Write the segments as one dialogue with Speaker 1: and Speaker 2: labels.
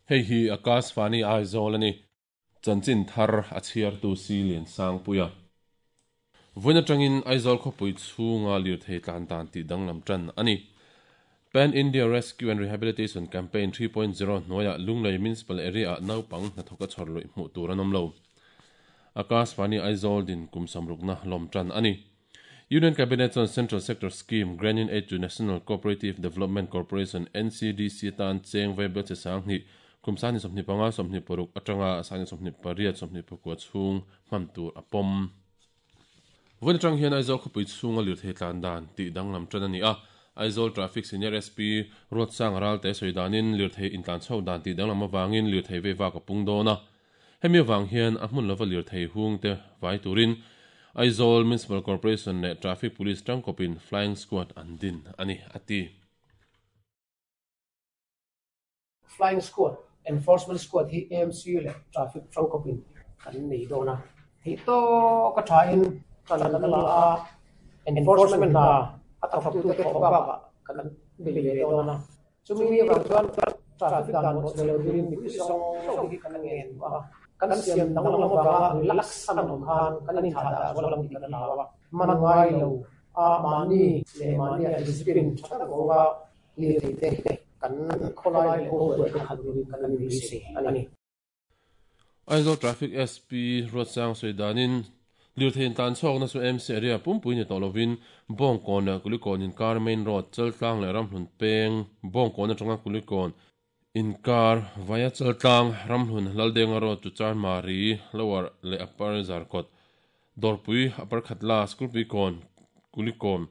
Speaker 1: Hei hi Akashvani Aizawl a ni. Chanchin thar a chhiartu Si Liansangpuia. Vawiin atangin Aizawl khawpui chhunga lirthei tlan dan tih danglam tan a ni. Pan India Rescue and Rehabilitation Campaign 3.0 hnuaiah Lunglei Municipal Area-ah naupang hnathawka chhawr luih hmuh tur an awm lo. Akashvani Aizawl din kum samrukna lawm tan a ni. Union Cabinet chuan Central Sector Scheme Grant-in Aid to National Cooperative Development Corporation, NCDC, atan cheng vaibel che 2000 kum 2025 26 atanga 2028 24 chhung hman tur a pawm. Vawiin atang hian Aizawl khawpui chhunga lirthei tlan dan tih danglam tan a ni a. Aizawl Traffic Senior SP Ruatsanga Ralte sawi danin lirthei intlan chho dan tih danglam avangin lirthei vei vak a pung dawn a. Hemi avang hian a hmun lova lirthei hung te vai turin Aizawl Municipal Corporation leh Traffic Police tangkawpin Flying Squad an din a ni, a ti.
Speaker 2: Flying Squad, Enforcement Squad hi AMC leh Traffic tangkawpin kan nei dawn a. Theih tawk a thain tan an la a, enforcement hna a thawktute thawh bakah kan bei leh dawn a. Chumi avang chuan traffic dan pawh chhe lo turin mipui zawng zawng hi kan ngen duh a, kan siam danglam avanga relax an awm khan kan inthah dah zual ang tih kan hlau a, man ngai lo a mahni leh mahnia discipline tha tak vawnga lirthei te kan khawlai leh kawngpuiah te khalh turin kan inbeisei a ni.
Speaker 1: Aizawl Traffic SP Ruatsang sawi danin lirthei intlan chhuakna chu MC area pumpui ni tawh lovin Bawngkawn leh Kulikawn inkar main road Chaltlang leh Ramhlun peng Bawngkawn atanga Kulikawn inkar via Chaltlang Ramhlun Laldenga road to Chanmari Lower leh Upper Zarkawt Dawrpui Upper Khatla Sikulpuikawn Kulikawn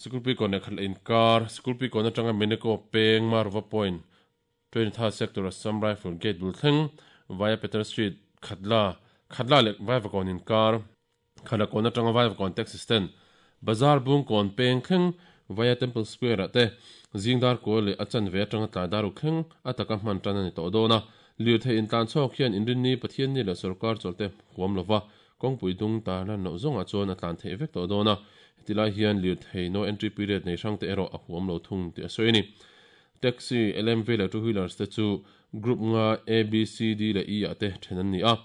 Speaker 1: Sikulpuikawn leh Khatla inkar Sikulpuikawn atanga Meneko peng Marova Point 23rd Sector Assam Rifle Gate bul thleng via Peter Street, Khatla, Khatla leh Vaivakawn inkar, Khalakawn atanga Vaivakawn Taxi Stand, Bazar Bungkawn peng thleng via Temple Square ah te zingdar kual leh a chanve atanga tlai dar uk thleng a taka hman tan a ni tawh dawn a. Lirthei intlan chhawk hian inrinni, Pathianni leh sawrkar chawlhte huam lova kawngpui dung tarlan loh zawngah chuan a tlan theih vek tawh dawn a. Hetilai hian lirthei no entry period nei hrangte erawh a huam lo thung tih a sawi a ni. Taxi, LMV leh two wheelers te chu group nga A, B, C, D leh E ah te then an ni a.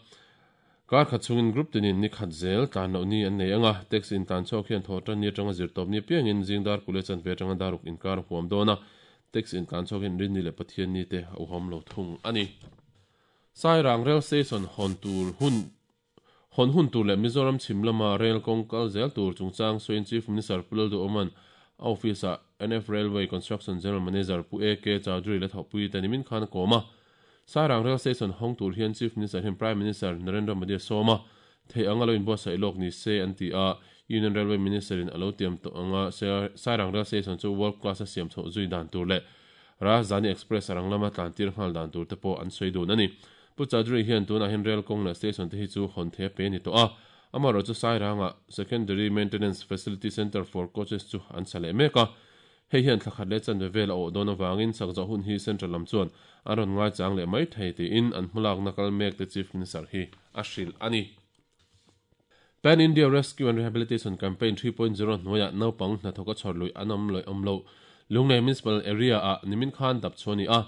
Speaker 1: Kar khat chungin group tinin ni khat zel tlan loh ni an nei ang a, taxi intlan chhuak hian thawh tan ni atanga zirtawp ni apiangin zing dar kule chanve atanga dar uk inkar a huam dawn a, taxi intlan chhuak hian Rinni leh Pathianni te a uhawm lo thung a ni. Sairang Rail Station hawn tur hun Hawn hun tur leh Mizoram chhim lama rail kawng kal zel tur chungchang sawiin Chief Minister Pu Lalduhawma'n a office-ah NF Railway Construction General Manager Pu AK Chowdhury la thawhpui te nimin khan a kawm a. Sairang Rail Station hawng tur hian Chief Minister hian Prime Minister Narendra Modi a sawm a, theih anga lo inbuatsaih lawk ni se an ti a, Union Railway Minister-in a lo tiam tawh anga Sairang Rail Station chu world class a siam chhoh zui dan tur leh Rajdhani Express a rang lama tlantir nghal dan tur te pawh an sawi dun a ni. Pu Chowdhury hian tunah hian rail kawng leh station te hi chu hawn thei a pe a ni tawh a, amaherawhchu Sairangah Secondary Maintenance Facility Centre for Coaches chu an sa leh mek a. Hei hian thla khat leh chanve vel a awh dawn avangin sak zawh hun hi Central lam chuan an rawn ngaichang leh mai thei tiin an hmalakna kal mek te Chief Minister hi a hrilh a ni. Pan India Rescue and Rehabilitation Campaign 3.0 hnuaiah naupang hnathawk a chhawr luih an awm leh awm loh Lunglei Municipal Area-ah nimin khan dap chhuah a ni a,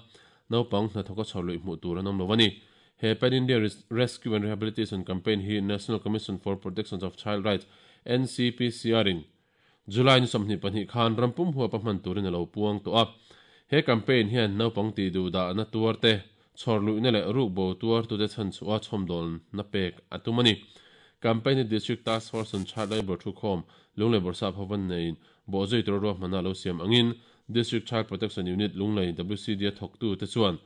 Speaker 1: naupang hnathawk a chhawr luih hmuh tur an awm lo a ni. He Pan India Rescue and Rehabilitation Campaign hi National Commission for Protection of Child Rights, NCPCR, in July ni 22 khan ram pum huapa hman turin a lo puang tawh a. He campaign hian naupang tih duh dahna tuar te, chhawr luihna leh ruk bo tuar tute chhan chhuah a chhawmdawlna pek a tum a ni. Campaign hi District Task Force on Child Labour thukhawm Lunglei Bawrhsap hovan neiin bawhzui tura ruahmanna a lo siam angin District Child Protection Unit Lunglei WCD a thawktute chuan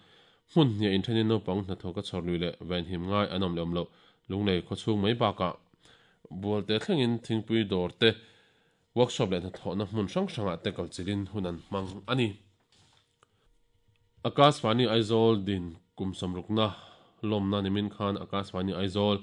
Speaker 1: hmun hniah inthenin naupang hnathawk a chhawr lui leh venhim ngai an awm leh awm loh Lunglei khawchhung mai bakah Bualte thlengin thingpui dawr te, workshop leh hnathawhna hmun hrang hrangah te kalchilhin hun an hmang a ni. Akashvani Aizawl din kum sawmrukna lawmna nimin khan Akashvani Aizawl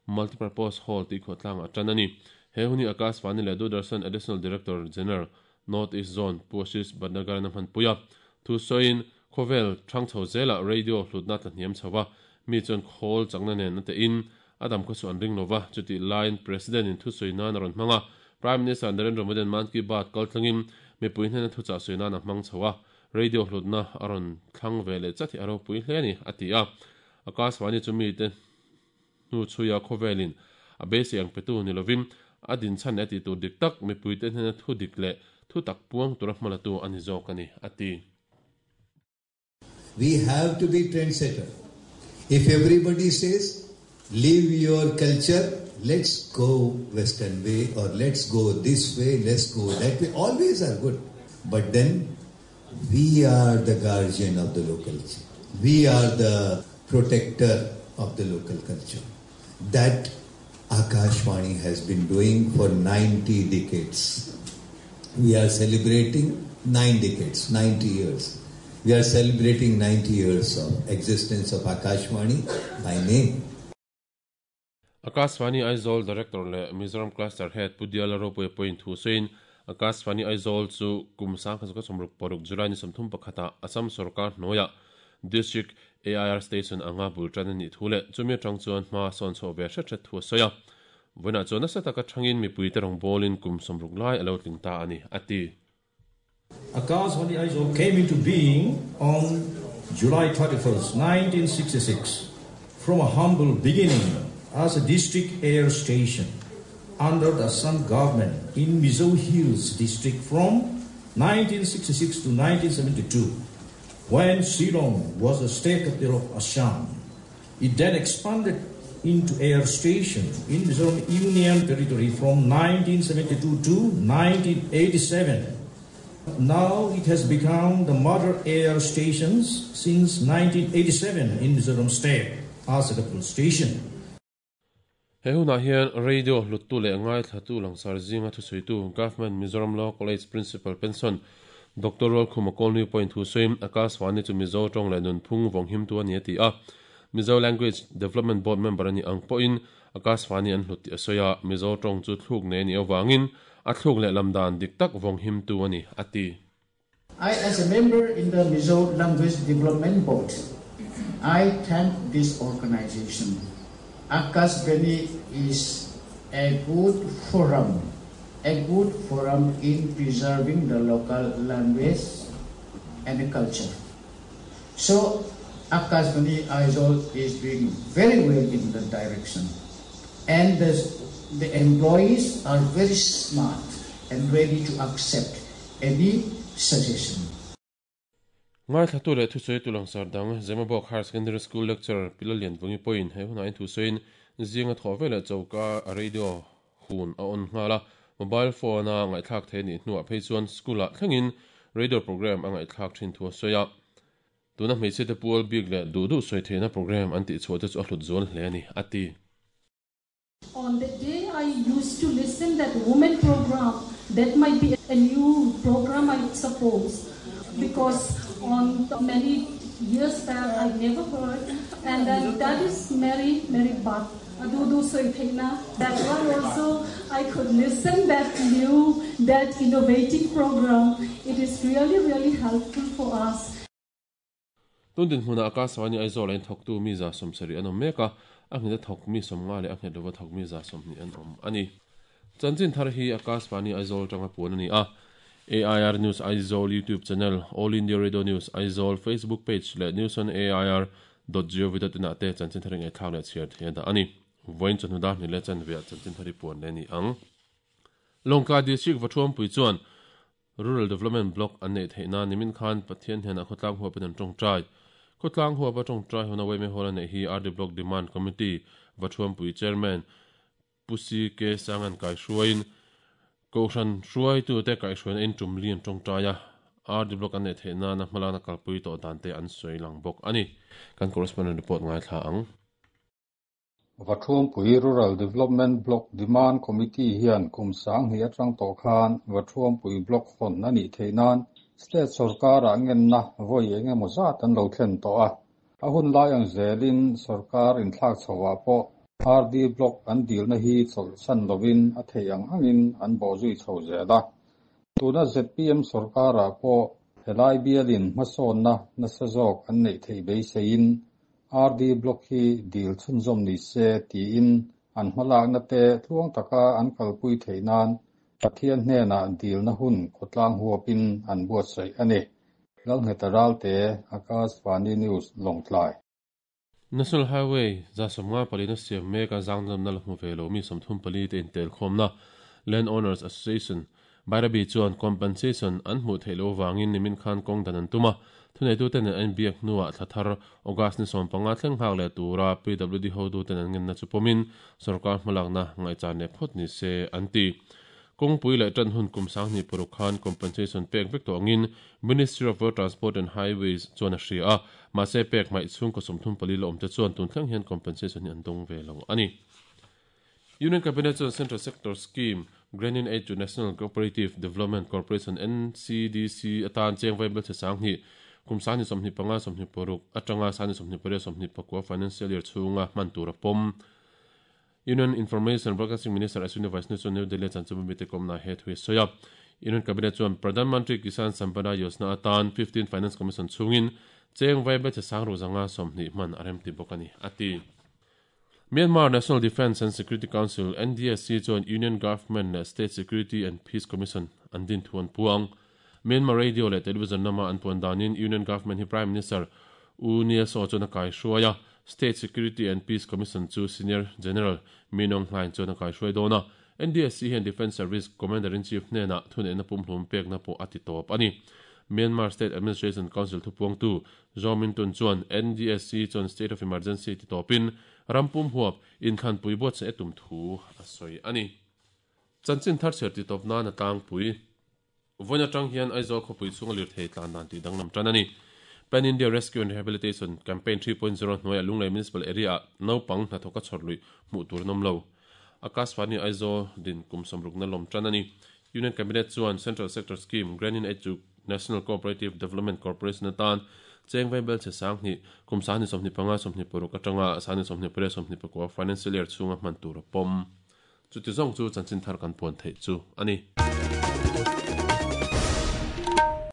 Speaker 1: Multipurpose Hall tih khuahtlangah a tan a ni. He hun hi Akashvani leh Doordarshan Additional Director General, North East Zone, Pu Ashish Bhatnagar-in a hmanpui a. Thu sawiin, khawvel thang chho zelah radio hlutna tla hniam chho va, mi chuan khawl chakna nen a tehin a dam khaw chu an ring lo va, chutih laiin President in thusawi nan a rawn hmang a, Prime Minister Narendra Modi-a'n Mann Ki Baat kal thlengin mipui hnena thuchah sawi nan a hmang chho a. Radio hlutna a rawn thlang ve leh chat hi a ropui hle a ni, a ti a. Akashvani chu mite hnu chhuia khawvelin a beisei ang petu ni lovin a dinchhan leh a tihtur dik tak mipuite hnena thu dik leh thu tak puang tura hmalatu a ni zawk a ni, a ti.
Speaker 3: We have to be trendsetter. If everybody says leave your culture, let's go western way or let's go this way, let's go that way, all ways are good. But then we are the guardian of the local culture. We are the protector of the local culture. That Akashvani has been doing for 90 decades. We are celebrating 9 decades, 90 years. We are celebrating 90 years of existence of Akashvani by name.
Speaker 1: Akashvani Aizawl Director leh Mizoram Cluster Head Pu Diala Ropui pawhin thu sawiin Akashvani Aizawl chu kum 1966 July ni 31ah Assam sorkar hnuaiah District AIR Station anga bul tan a nih thu leh chumi atang chuan hma sawn chhoh ve hret hret thu a sawi a. Vawiinah chuan nasa taka thangin mipuite rawngbawlin kum 60 lai a lo tling ta a ni, a ti.
Speaker 4: Akashvani Aizawl came into being on July 31st, 1966, from a humble beginning as a district air station under the Assam government in Mizo Hills district from 1966 to 1972, when Shillong was the state capital of Assam. It then expanded into air station in Mizoram Union Territory from 1972 to 1987. Now it has become the mother air stations since 1987 in Mizoram state as a capital station.
Speaker 1: He hunah hian radio hluttu leh ngai thlatu langsar zinga thusawitu Government Mizoram Law College Principal Pension Doctor Rualkhuma Kawlni pawhin thu sawiin Akashvani chu Mizo tawng leh nunphung vawng him tu a ni a ti a. Mizo Language Development Board member a ni ang pawhin Akashvani an hlut tih a sawi a. Mizo tawng chu thluk nei a nih avangin a thluk leh lam dan dik tak vawng him tu a ni a ti.
Speaker 5: I, as a member in the Mizo Language Development Board, I thank this organization. Akashvani is a good forum, a good forum in preserving the local language and the culture. So, Akashvani Aizawl is doing very well in that direction. And the employees are very smart and ready to accept any suggestion.
Speaker 1: Ngai thlatu leh thusawi tu langsar dang Zemabawk Higher Secondary School lecturer Pilalian Vungi pawhin he hunah in thusawiin zinga thaw velah choka a radio hun a on nghala mobile phone a ngaihthlak thei nih hnuah phei chuan school ah thlengin radio program a ngaihthlak thin thu a sawi a. Tuna hmeichhe te pual bik leh duh duh sawi theihna program an tih chhuah te chu a hlut zual hle a ni a ti.
Speaker 6: On the day I used to listen that women program, that might be a new program I suppose, because on many years back I never heard, and then that is Mary, Mary Bhatt. Dudu Soithena. That one also I could listen that new, that innovative program. It is really, really helpful for us.
Speaker 1: Tundin hmuna Akashvani Aizawl in thawktu mi za 70 an awm mek a, a nghet a thawk mi 50 leh a nghet lova thawk mi 120 an awm a ni. Chanchin thar hi Akashvani Aizawl tanga puan a ni a. AIR News Aizawl YouTube channel, All India Radio News Aizawl Facebook page leh news on AIR dot gov dot in ah te chanchin thar ngai thlak leh chhiar thei a dah a ni. Vawiin chawhnu dar hnih leh chanve ah chanchin thar hi puan leh a ni ang. Lawngtlai District Vathuampui chuan Rural Development Block an neih theihna nimin khan Pathian hnenah khawtlang huapin an tawngtai. Khawtlang huapa tawngtai huna Weme Hall a neih hi RD Block Demand Committee Vathuampui Chairman Pu C K Sangan kaihruaiin Kohhran hruaitute kaihhruaina in tum li an tawngtai a, RD Block an neih theih nana hmalakna kalpui tawh dan te an sawi lang bawk a ni. Kan correspondent report ngaithla ang.
Speaker 7: Vathuampui Rural Development Block Demand Committee hian kum 2000 atang tawh khan Vathuampui Block hawn a nih theih nan State sorkarah ngenna vawi engemaw zat an lo thlen tawh a. A hun lai ang zelin sorkar inthlak chhoah pawh RD Block an dilna hi chawlhsan lovin a thei ang angin an bawhzui chho zel a. Tuna ZPM sorkarah pawh helai bialin hmasawnna nasa zawk an neih theih beiseiin RD Block hi dil chhunzawm ni se tiin an hmalakna te tluang taka an kalpui theih nan Pathian hnenah dilna hun khawtlang huapin an buatsaih a ni. Lalngheta Ralte, Akashvani News, Lawngtlai.
Speaker 1: National Highway 154 na siam mek a zangzamna la hmu ve lo mi 34 te intelkhawmna Land Owners Association Bairabi chuan compensation an hmuh theih loh avangin nimin khan kawng dan an tum a, thuneituten an inbiak hnuah thla thar August ni 15 thleng nghak leh tura PWD hotuten an ngenna chu pawmin sorkar hmalakna ngaihchan leh phawt ni se an ti. Kawngpui leh tan hun kum 2006 khan compensation pek vek tawh angin Ministry of Road Transport and Highways chuan a hria a, mahse pek hmaih chhungkaw 34 la awmte chuan tun thleng hian compensation hi an dawng ve lo a ni. Union Cabinet chuan Central Sector Scheme, Grant-in Aid to National Cooperative Development Corporation, NCDC, atan cheng vai belchhe 2000, kum 2025 26 atanga 2028 29 financial year chhunga hman tur a pawm. Union Information Broadcasting Minister Ashwini Vaishnaw chuan New Delhi-a chanchinbu mite kawmna he thu hi a sawi a. Union Cabinet chuan Pradhan Mantri Kisan Sampada Yojana atan 15 Finance Commission chhungin cheng vai belchhe 620 hman a remti bawk a ni, a ti. Myanmar National Defence and Security Council, NDSC, chuan Union Government leh State Security and Peace Commission an din thu an puang. Myanmar Radio leh Television lama an puan danin Union Government hi Prime Minister U Nyi Saw chuan a kaihruai a, State Security and Peace Commission chu Senior General Min Aung Hlaing chuan a kaihruai dawn a. NDSC hian Defence Service Commander-in-Chief hnenah thuneihna pumhlum pekna pawh a ti tawp a ni. Myanmar State Administration Council thupuangtu Zaw Min Tun chuan NDSC chuan State of Emergency ti tawpin ram pum huap inthlanpui buatsaih a tum thu a sawi a ni. Chanchin thar chhiar ti tawp nan a tlangpui. Vawiin atang hian Aizawl khawpui chhunga lirthei tlan dan tih danglam tan a ni. Pan India Rescue and Rehabilitation Campaign 3.0 hnuaiah Lunglei Municipal Area-ah naupang hnathawka chhawr luih hmuh tur an awm lo. Akashvani Aizawl din kum sawmrukna lawm tan a ni. Union Cabinet chuan Central Sector Scheme, Grant-in Aid chu National Cooperative Development Corporation atan cheng vai belchhe 2000, kum 2025 26 atanga 2028 29 financial year chhunga hman tur a pawm. Chuti zawng chu chanchin thar kan puan theih chu a ni.